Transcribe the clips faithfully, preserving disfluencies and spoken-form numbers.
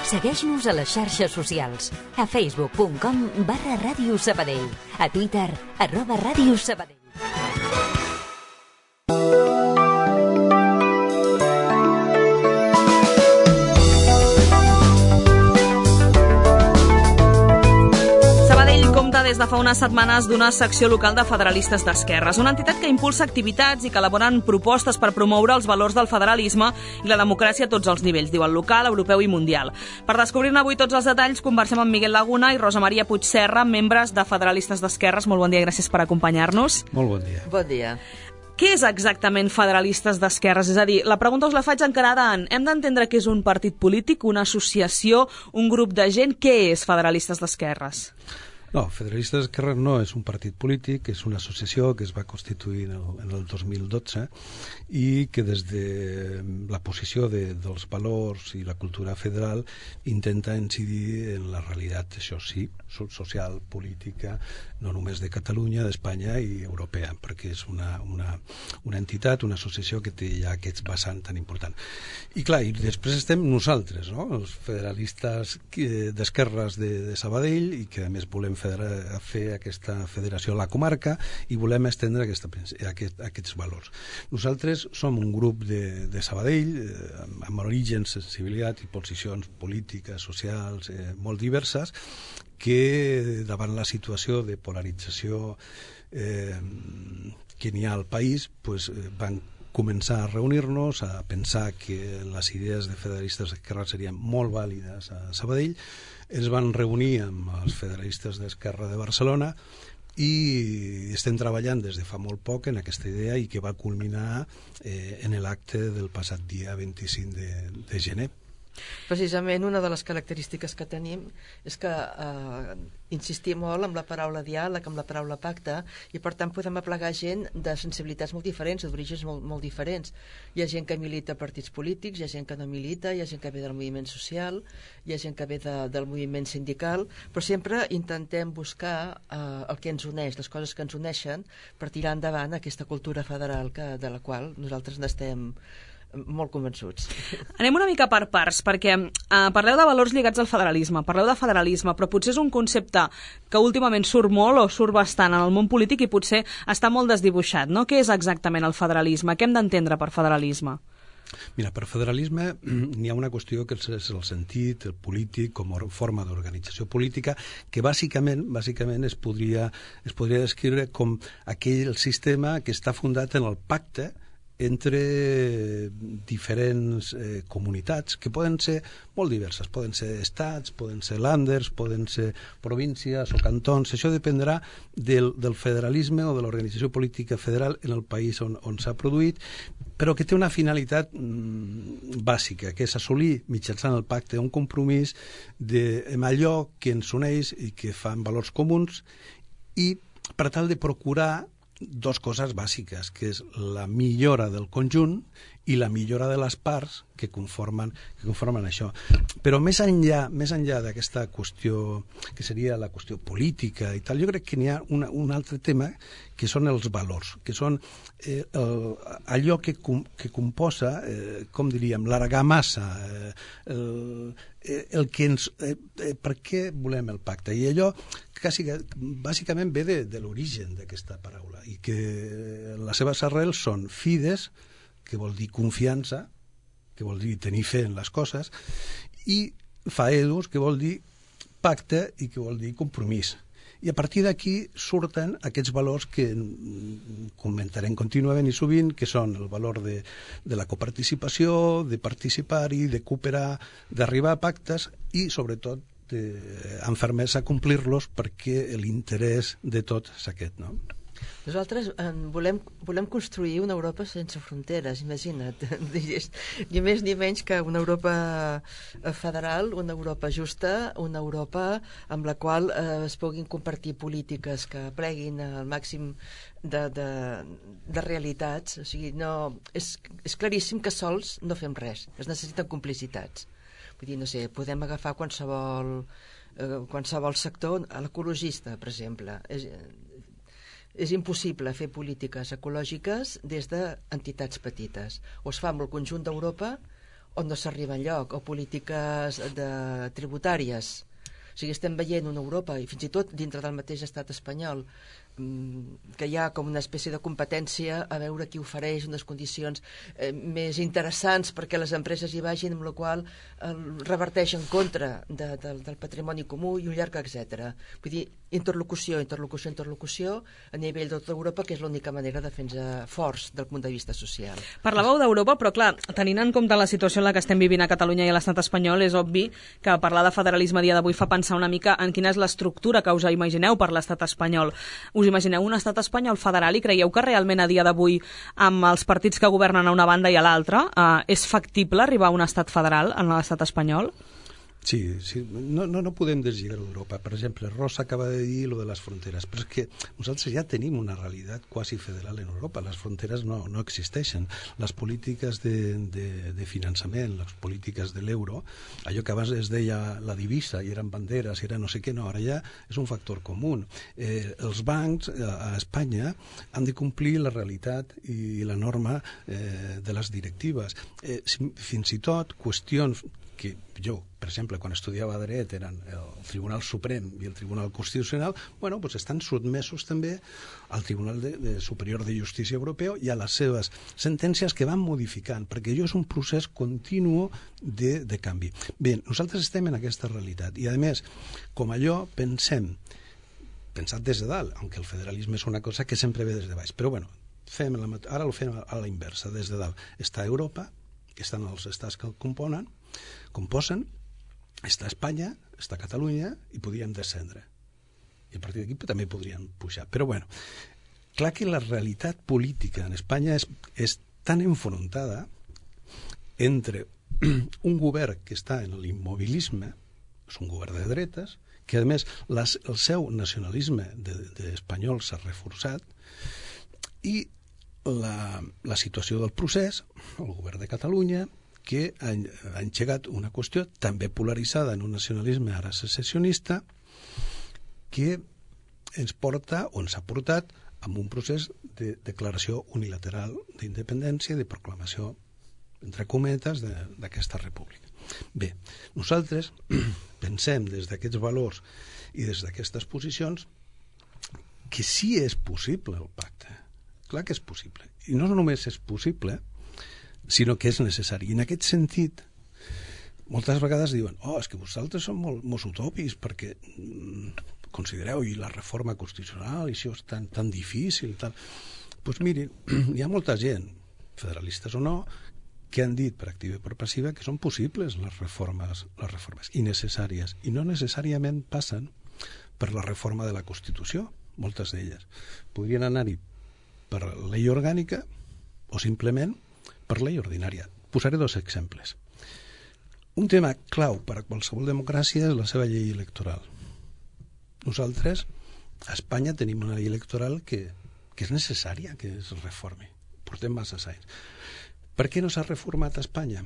Segueix-nos a les xarxes socials. A facebook punt com barra Ràdio Sabadell. A Twitter, arroba Ràdio Sabadell. Des de fa unes setmanes d'una secció local de federalistes d'esquerres, una entitat que impulsa activitats i que elaboren propostes per promoure els valors del federalisme i la democràcia a tots els nivells, diu el local, europeu i mundial. Per descobrir-ne avui tots els detalls, conversem amb Miguel Laguna i Rosa Maria Puigserra, membres de federalistes d'esquerres. Molt bon dia i gràcies per acompanyar-nos. Molt bon dia. Bon dia. Què és exactament federalistes d'esquerres? És a dir, la pregunta us la faig encarada en hem d'entendre que és un partit polític, una associació, un grup de gent? Què és federalistes d'esquerres? No, Federalistes d'Esquerres no és un partit polític, és una associació que es va constituir en el, en el dos mil dotze i que des de la posició de, dels valors i la cultura federal intenta incidir en la realitat, això sí, social, política, no només de Catalunya, d'Espanya i europea, perquè és una, una, una entitat, una associació que té ja aquest vessant tan important. I clar, i després estem nosaltres, no? Els federalistes d'esquerres de, de Sabadell, i que a més volem federa, fer aquesta federació a la comarca i volem estendre aquesta, aquest, aquests valors. Nosaltres som un grup de, de Sabadell eh, amb orígens, sensibilitat i posicions polítiques, socials, eh, molt diverses, que davant la situació de polarització eh, que n'hi ha al país, pues, eh, van començar a reunir-nos, a pensar que les idees de federalistes d'esquerra serien molt vàlides a Sabadell. Ens van reunir amb els federalistes d'Esquerra de Barcelona i estem treballant des de fa molt poc en aquesta idea i que va culminar eh, en l'acte del passat dia vint-i-cinc de, de gener. Precisament una de les característiques que tenim és que eh, insistim molt amb la paraula diàleg, amb la paraula pacte, i per tant podem aplegar gent de sensibilitats molt diferents, d'orígens molt, molt diferents. Hi ha gent que milita a partits polítics, hi ha gent que no milita, hi ha gent que ve del moviment social, hi ha gent que ve de, del moviment sindical, però sempre intentem buscar eh, el que ens uneix, les coses que ens uneixen, per tirar endavant aquesta cultura federal que, de la qual nosaltres n'estem molt convençuts. Anem una mica per parts, perquè eh, parleu de valors lligats al federalisme, parleu de federalisme, però potser és un concepte que últimament surt molt o surt bastant en el món polític i potser està molt desdibuixat, no? Què és exactament el federalisme? Què hem d'entendre per federalisme? Mira, per federalisme n'hi ha una qüestió que és el sentit, el polític, com a forma d'organització política, que bàsicament bàsicament es podria, es podria descriure com aquell sistema que està fundat en el pacte entre diferents eh, comunitats que poden ser molt diverses, poden ser estats, poden ser landers, poden ser províncies o cantons. Això dependrà del, del federalisme o de l'organització política federal en el país on, on s'ha produït, però que té una finalitat mm, bàsica, que és assolir mitjançant el pacte un compromís de, amb allò que ens uneix i que fan valors comuns, i per tal de procurar dos coses bàsiques, que és la millora del conjunt i la millora de les parts que conformen, que conformen això. Però més enllà, més enllà d'aquesta qüestió, que seria la qüestió política i tal, jo crec que n'hi ha una, un altre tema, que són els valors, que són eh, el, allò que, com, que composa, eh, com diríem, l'argamassa, eh, el, el que ens... Eh, eh, per què volem el pacte? I allò quasi, bàsicament ve de, de l'origen d'aquesta paraula, i que les seves arrels són fides, que vol dir confiança, que vol dir tenir fe en les coses, i faedus, que vol dir pacte i que vol dir compromís. I a partir d'aquí surten aquests valors que comentarem contínuament i sovint, que són el valor de, de la coparticipació, de participar-hi, de cooperar, d'arribar a pactes i, sobretot, de, amb fermesa complir-los, perquè l'interès de tot és aquest, no? Nosaltres eh, volem, volem construir una Europa sense fronteres, imagina't. Ni més ni menys que una Europa federal, una Europa justa, una Europa amb la qual eh, es puguin compartir polítiques que pleguin al màxim de, de, de realitats. O sigui, no, és, és claríssim que sols no fem res, es necessiten complicitats. Vull dir, no sé, podem agafar qualsevol, eh, qualsevol sector, l'ecologista, per exemple. És, És impossible fer polítiques ecològiques des d'entitats petites. O es fa amb el conjunt d'Europa on no s'arriba enlloc, o polítiques de, tributàries. O sigui, estem veient una Europa, i fins i tot dintre del mateix estat espanyol, que hi ha com una espècie de competència a veure qui ofereix unes condicions eh, més interessants perquè les empreses hi vagin, amb la qual eh, reverteix en contra de, de, del patrimoni comú i un llarg etcètera. Vull dir, interlocució, interlocució, interlocució a nivell de tota Europa, que és l'única manera de fer-nos forts del punt de vista social. Parlàveu d'Europa, però clar, tenint en compte la situació en la que estem vivint a Catalunya i a l'estat espanyol, és obvi que parlar de federalisme a dia d'avui fa pensar una mica en quina és l'estructura que us imagineu per l'estat espanyol. Us imagineu un estat espanyol federal i creieu que realment a dia d'avui, amb els partits que governen a una banda i a l'altra, eh, és factible arribar a un estat federal en l'estat espanyol? Sí, sí. No, no, no podem deslligar d'Europa. Per exemple, Rosa acaba de dir lo de les fronteres, però és que nosaltres ja tenim una realitat quasi federal en Europa. Les fronteres no, no existeixen. Les polítiques de, de, de finançament, les polítiques de l'euro, allò que abans es deia la divisa, i eren banderes, i era no sé què, no, ara ja és un factor comú. Eh, els bancs a, a Espanya han de complir la realitat i la norma eh, de les directives. Eh, fins i tot qüestions que jo, per exemple, quan estudiava dret eren el Tribunal Suprem i el Tribunal Constitucional, bueno, pues estan sotmesos també al Tribunal de, de Superior de Justícia Europeu i a les seves sentències que van modificant, perquè això és un procés continu de, de canvi. Bé, nosaltres estem en aquesta realitat i, a més, com allò, pensem, pensat des de dalt, aunque el federalisme és una cosa que sempre ve des de baix, però bueno, fem la, ara ho fem a la inversa, des de dalt. Està Europa, que estan els estats que el componen, composen, està Espanya, està Catalunya, i podríem descendre. I a partir d'aquí també podríem pujar. Però bueno, clar que la realitat política en Espanya és, és tan enfrontada entre un govern que està en l'immobilisme, és un govern de dretes, que a més les, el seu nacionalisme de, de espanyol s'ha reforçat, i la, la situació del procés, el govern de Catalunya, que ha, ha engegat una qüestió també polaritzada en un nacionalisme ara secessionista que ens porta o ens ha portat a un procés de declaració unilateral d'independència i de proclamació, entre cometes, d'aquesta república. Bé, nosaltres pensem des d'aquests valors i des d'aquestes posicions que sí és possible el pacte. Clar que és possible. I no només és possible, sinó que és necessari. I en aquest sentit, moltes vegades diuen, oh, és que vosaltres són molt, molt utòpics perquè mm, considereu i la reforma constitucional i això és tan, tan difícil. Tal. Pues mirin, hi ha molta gent, federalistes o no, que han dit per activa i per passiva que són possibles les reformes, les reformes i necessàries. I no necessàriament passen per la reforma de la Constitució, moltes d'elles. Podrien anar-hi per llei orgànica o simplement per llei ordinària. Posaré dos exemples. Un tema clau per a qualsevol democràcia és la seva llei electoral. Nosaltres, a Espanya, tenim una llei electoral que, que és necessària que es reformi. Portem massa anys. Per què no s'ha reformat a Espanya?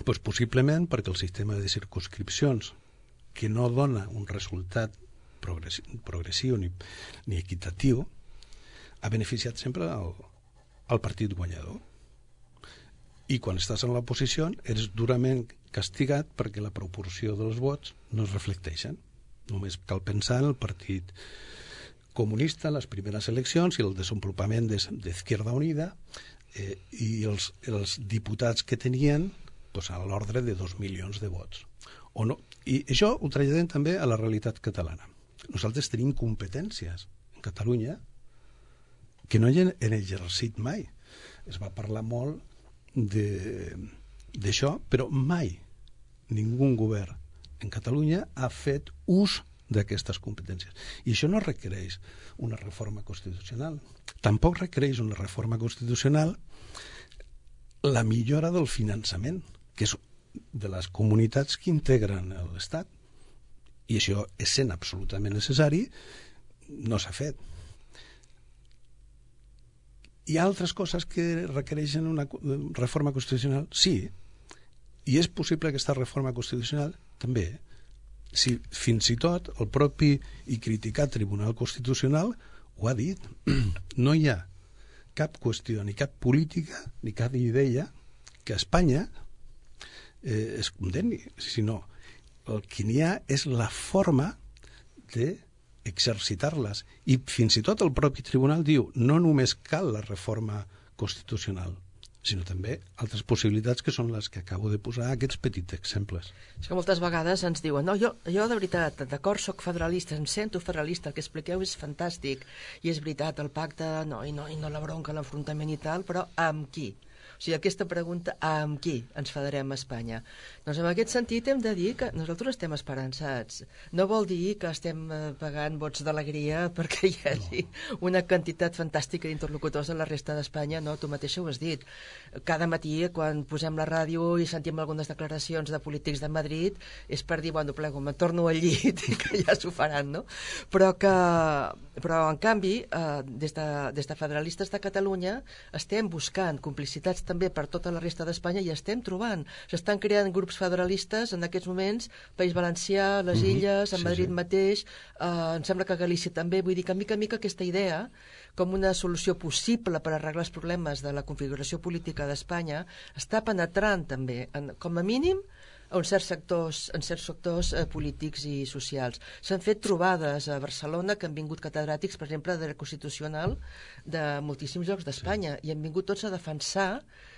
Pues possiblement perquè el sistema de circumscripcions, que no dona un resultat progressiu, progressiu ni, ni equitatiu, ha beneficiat sempre el, el partit guanyador. I quan estàs en l'oposició eres durament castigat perquè la proporció dels vots no es reflecteixen. Només cal pensar en el Partit Comunista, les primeres eleccions i el desenvolupament d'Izquierda Unida eh, i els, els diputats que tenien pues, a l'ordre de dos milions de vots. O no. I això ho traslladem també a la realitat catalana. Nosaltres tenim competències en Catalunya que no hi han exercit mai. Es va parlar molt d'això, però mai ningú govern en Catalunya ha fet ús d'aquestes competències. I això no requereix una reforma constitucional. Tampoc requereix una reforma constitucional la millora del finançament, que és de les comunitats que integren l'Estat. I això, essent absolutament necessari, no s'ha fet. Hi ha altres coses que requereixen una reforma constitucional? Sí. I és possible aquesta reforma constitucional? També. Si fins i tot el propi i criticat Tribunal Constitucional ho ha dit. No hi ha cap qüestió, ni cap política, ni cap idea que a Espanya eh, es condemni, sinó el que n'hi ha és la forma d'exercitar-les. I fins i tot el propi tribunal diu no només cal la reforma constitucional, sinó també altres possibilitats que són les que acabo de posar, aquests petits exemples. És que moltes vegades ens diuen no, jo, jo de veritat, d'acord, soc federalista, em sento federalista, el que expliqueu és fantàstic, i és veritat, el pacte, no, i no, i no la bronca, l'enfrontament i tal, però amb qui? O sigui, aquesta pregunta, amb qui ens federem a Espanya? Doncs en aquest sentit hem de dir que nosaltres estem esperançats. No vol dir que estem pagant vots d'alegria perquè hi hagi no. una quantitat fantàstica d'interlocutors de la resta d'Espanya, no? Tu mateixa ho has dit. Cada matí, quan posem la ràdio i sentim algunes declaracions de polítics de Madrid, és per dir, bueno, plego, me'n torno al llit i que ja s'ho faran, no? Però que... Però, en canvi, eh, des, de, des de Federalistes de Catalunya estem buscant complicitats també per tota la resta d'Espanya i estem trobant. S'estan creant grups federalistes en aquests moments, País Valencià, les mm-hmm. Illes, a Madrid sí, sí. mateix, eh, em sembla que a Galícia també, vull dir que mica a mica aquesta idea com una solució possible per arreglar els problemes de la configuració política d'Espanya està penetrant també, en, com a mínim, en certs sectors, en certs sectors eh, polítics i socials. S'han fet trobades a Barcelona que han vingut catedràtics, per exemple, de dret constitucional de moltíssims llocs d'Espanya sí. i han vingut tots a defensar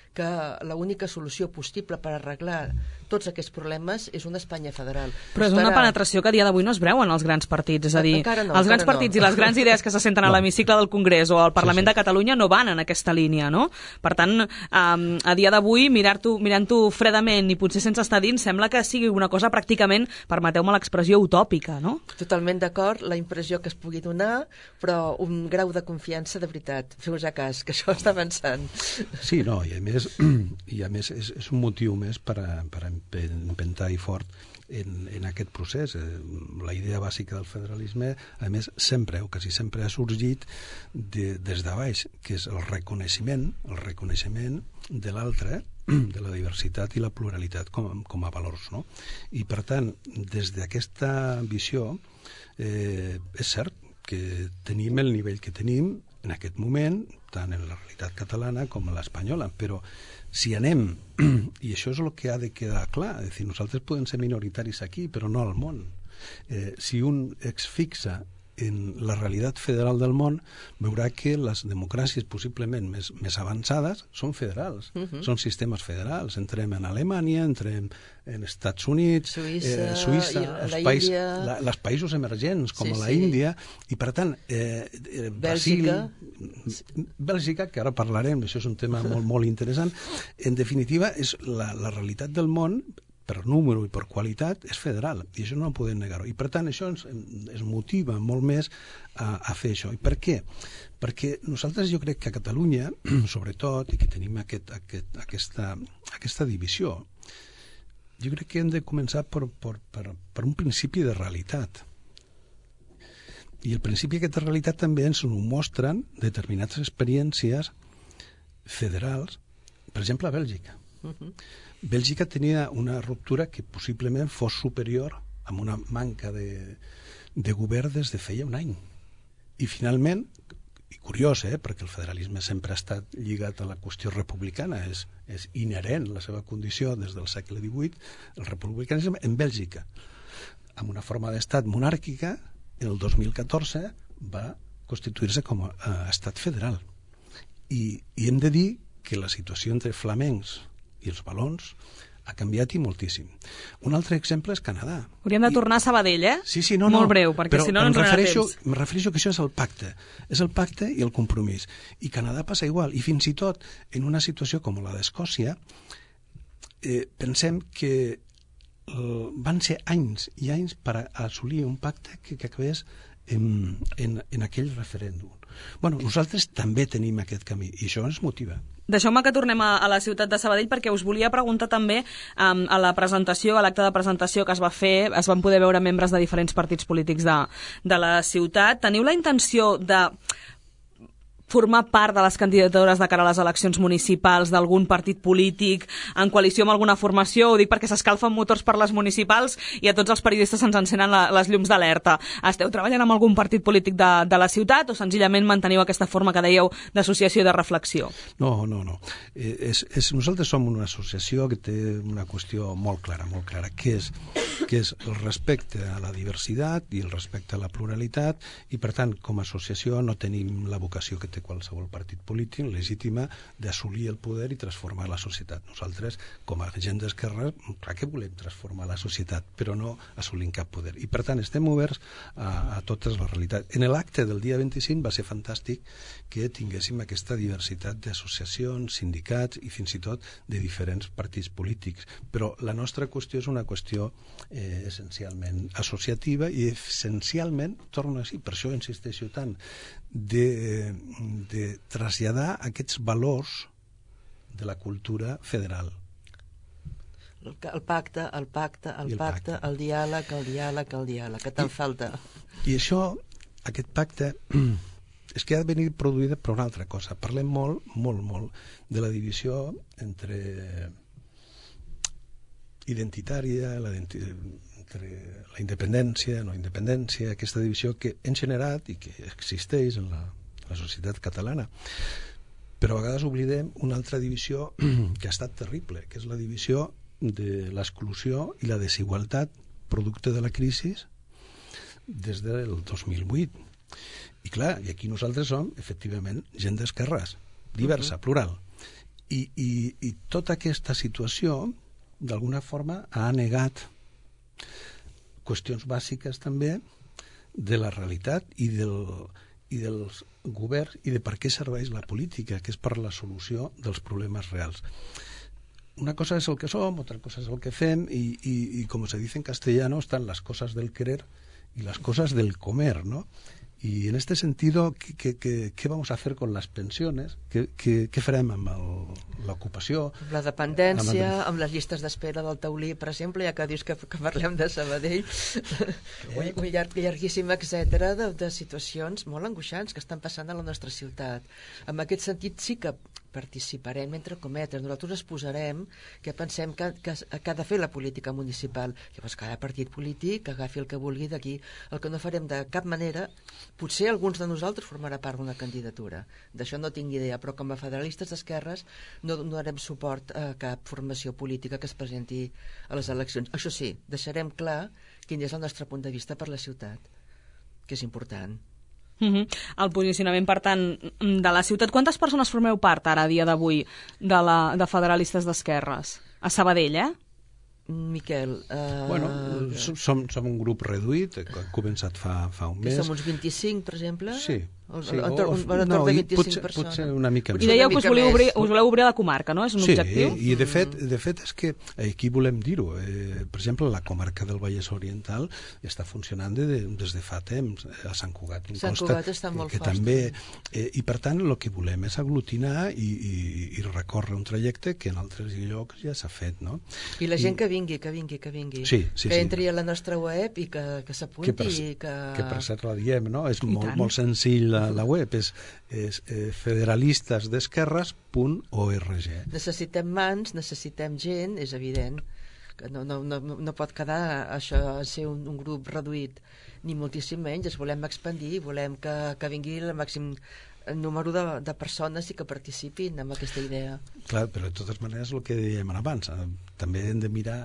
que l'única solució possible per arreglar tots aquests problemes és una Espanya federal. Però és una penetració que a dia d'avui no es breu en els grans partits, és a dir, no, els grans partits no. i les grans idees que se senten no. a l'hemicicle del Congrés o al Parlament sí, sí. de Catalunya no van en aquesta línia, no? Per tant, um, a dia d'avui, mirar-t'ho mirant-ho fredament i potser sense estar dins, sembla que sigui una cosa pràcticament, permeteu-me l'expressió, utòpica, no? Totalment d'acord, la impressió que es pugui donar, però un grau de confiança de veritat. Feu-vos a cas, que això està avançant. Sí, no, i a més i a més és, és un motiu més per, a, per empentar i fort en, en aquest procés. La idea bàsica del federalisme, a més, sempre o quasi sempre ha sorgit de, des de baix, que és el reconeixement, el reconeixement de l'altre, de la diversitat i la pluralitat com, com a valors, no? I per tant, des d'aquesta visió, eh, és cert que tenim el nivell que tenim en aquest moment, tant en la realitat catalana com en l'espanyola, però si anem, i això és el que ha de quedar clar, és dir, nosaltres podem ser minoritaris aquí, però no al món. Eh, si un es fixa en la realitat federal del món, veurà que les democràcies possiblement més, més avançades són federals, uh-huh. són sistemes federals. Entrem en Alemanya, entrem en Estats Units, Suïssa, eh, Suïssa els, país, la, els països emergents, com sí, la sí. Índia, i per tant, eh, eh, Bèlgica. Brasil, Bèlgica, que ara parlarem, això és un tema molt, molt interessant, en definitiva, és la, la realitat del món per número i per qualitat, és federal, i això no ho podem negar-ho. I per tant, això ens, ens motiva molt més a, a fer això. I per què? Perquè nosaltres jo crec que a Catalunya, sobretot, i que tenim aquest, aquest, aquesta, aquesta divisió, jo crec que hem de començar per, per, per, per un principi de realitat. I el principi d'aquesta realitat també ens ho mostren determinades experiències federals, per exemple, a Bèlgica. Uh-huh. Bèlgica tenia una ruptura que possiblement fos superior amb una manca de, de govern des de feia un any. I finalment, i curiós, eh, perquè el federalisme sempre ha estat lligat a la qüestió republicana, és, és inherent la seva condició des del segle divuit, el republicanisme en Bèlgica, amb una forma d'estat monàrquica, el dos mil catorze va constituir-se com a uh, estat federal. I, I hem de dir que la situació entre flamencs i els valons ha canviat i moltíssim. Un altre exemple és Canadà. Hauríem de tornar a Sabadell, eh? Sí, sí, no, Molt no. breu, perquè però si no, no ens donarà temps. Em refereixo que això és el pacte. És el pacte i el compromís. I Canadà passa igual. I fins i tot, en una situació com la d'Escòcia, eh, pensem que eh, van ser anys i anys per assolir un pacte que, que acabés en, en, en aquell referèndum. Bueno, nosaltres també tenim aquest camí i això ens motiva. Deixeu-me que tornem a, a la ciutat de Sabadell perquè us volia preguntar també um, a la presentació, a l'acte de presentació que es va fer, es van poder veure membres de diferents partits polítics de, de la ciutat. Teniu la intenció de formar part de les candidatures de cara a les eleccions municipals d'algun partit polític en coalició amb alguna formació? Ho dic perquè s'escalfen motors per les municipals i a tots els periodistes se'ns encenen la, les llums d'alerta. Esteu treballant amb algun partit polític de, de la ciutat o senzillament manteniu aquesta forma que dèieu d'associació i de reflexió? No, no, no. Eh, és, és, nosaltres som una associació que té una qüestió molt clara, molt clara, que és, que és el respecte a la diversitat i el respecte a la pluralitat, i per tant, com a associació no tenim la vocació que té qualsevol partit polític legítima d'assolir el poder i transformar la societat. Nosaltres, com a gent d'esquerra, clar que volem transformar la societat, però no assolint cap poder. I per tant, estem oberts a, a totes les realitats. En l'acte del dia vint-i-cinc va ser fantàstic que tinguéssim aquesta diversitat d'associacions, sindicats i fins i tot de diferents partits polítics. Però la nostra qüestió és una qüestió eh, essencialment associativa i essencialment, torno a dir, per això insisteixo tant, de, de traslladar aquests valors de la cultura federal. El, el pacte, el pacte, el, el pacte, pacte, el diàleg, el diàleg, el diàleg, que te'n falta. I això, aquest pacte, és que ha de venir produïda per una altra cosa. Parlem molt, molt, molt de la divisió entre identitària, la identitària, entre la independència, no independència, aquesta divisió que hem generat i que existeix en la, la societat catalana. Però a vegades oblidem una altra divisió que ha estat terrible, que és la divisió de l'exclusió i la desigualtat producte de la crisi des del dos mil vuit. I clar, i aquí nosaltres som, efectivament, gent d'esquerres, diversa, uh-huh. plural. I, i, I tota aquesta situació, d'alguna forma, ha negat qüestions bàsiques també de la realitat i, del, i dels governs i de per què serveix la política, que és per la solució dels problemes reals. Una cosa és el que som, otra cosa és el que fem i, i, i com se dice en castellano, están las cosas del querer y las cosas del comer, ¿no? Y en este sentido, ¿qué, qué, qué, qué vamos a hacer con las pensiones? ¿Qué, qué, qué farem amb l'ocupació? Amb la dependència, amb, amb les llistes d'espera del taulí, per exemple, ja que dius que, que parlem de Sabadell, un, un llarg, llarguíssim, etcètera, de, de situacions molt angoixants que estan passant a la nostra ciutat. En aquest sentit sí que participarem, entre cometes, nosaltres es posarem que pensem que, que, que ha de fer la política municipal. Llavors cada partit polític agafi el que vulgui d'aquí. El que no farem de cap manera, potser alguns de nosaltres formarà part d'una candidatura, d'això no tinc idea, però com a federalistes d'esquerres no donarem suport a cap formació política que es presenti a les eleccions. Això sí, deixarem clar quin és el nostre punt de vista per la ciutat, que és important. Uh-huh. El posicionament, per tant, de la ciutat. Quantes persones formeu part ara, a dia d'avui, de, la, de federalistes d'esquerres? A Sabadell, eh? Miquel... Uh... Bueno, som, som un grup reduït, que ha començat fa, fa un mes. Que som uns vint-i-cinc, per exemple? Sí. Sí, o, o, o, no, de vint-i-cinc potser, persones. potser una mica més. I dèieu que us voleu, obrir, us voleu obrir a la comarca, no? És un sí, objectiu? Sí, i de fet, de fet és que aquí volem dir-ho. Eh, per exemple, la comarca del Vallès Oriental està funcionant de, de, des de fa temps. A Sant Cugat. Sant Cugat està molt que, que fort. També, eh, I per tant, el que volem és aglutinar i, i, i recórrer un trajecte que en altres llocs ja s'ha fet, no? I la gent I... que vingui, que vingui, que vingui. Sí, sí, que sí. entri a la nostra web i que, que s'apunti. Que, per, que... que per cert la diem, no? És molt, molt senzill la, la web, és és eh, federalistesdesquerres punt org. Necessitem mans, necessitem gent, és evident que no, no, no, no pot quedar això a ser un, un grup reduït, ni moltíssim menys. Es volem expandir, volem que, que vingui el màxim número de, de persones i que participin en aquesta idea. Clar, però de totes maneres el que dèiem abans, eh, també hem de mirar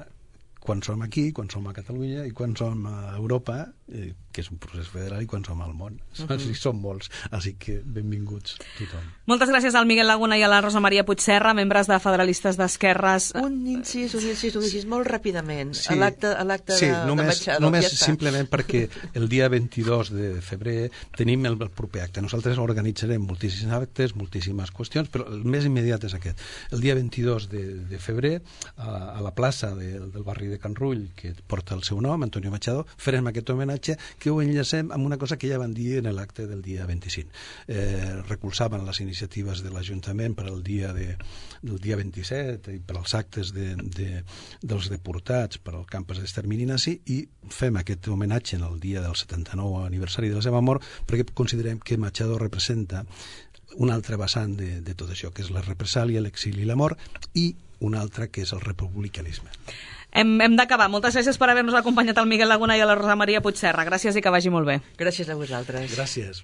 quan som aquí, quan som a Catalunya i quan som a Europa, eh, que és un procés federal, i quan som al món. Uh -huh. Sí, som molts, així que benvinguts tothom. Moltes gràcies al Miguel Laguna i a la Rosa Maria Puigserra, membres de Federalistes d'Esquerres. Un incís, un incís, un incís, molt ràpidament. Sí, a l'acte sí, de, només, de Machado. Només ja simplement perquè el dia vint-i-dos de febrer tenim el, el proper acte. Nosaltres organitzarem moltíssims actes, moltíssimes qüestions, però el més immediat és aquest. El dia vint-i-dos de, de febrer, a, a la plaça de, del barri de Can Rull, que porta el seu nom, Antonio Machado, farem aquest homenatge que ho enllacem amb una cosa que ja van dir en l'acte del dia vint-i-cinc. Eh, recolzaven les iniciatives de l'Ajuntament per al dia de, del dia vint-i-set i per als actes de, de, dels deportats per al campus d'extermini nazi, i fem aquest homenatge en el dia del setanta-nou aniversari de la seva mort perquè considerem que Machado representa un altre vessant de, de tot això, que és la represàlia, l'exili i la mort, i un altre que és el republicanisme. Hem, hem d'acabar. Moltes gràcies per haver-nos acompanyat el Miguel Laguna i a la Rosa Maria Puigserra. Gràcies i que vagi molt bé. Gràcies a vosaltres. Gràcies.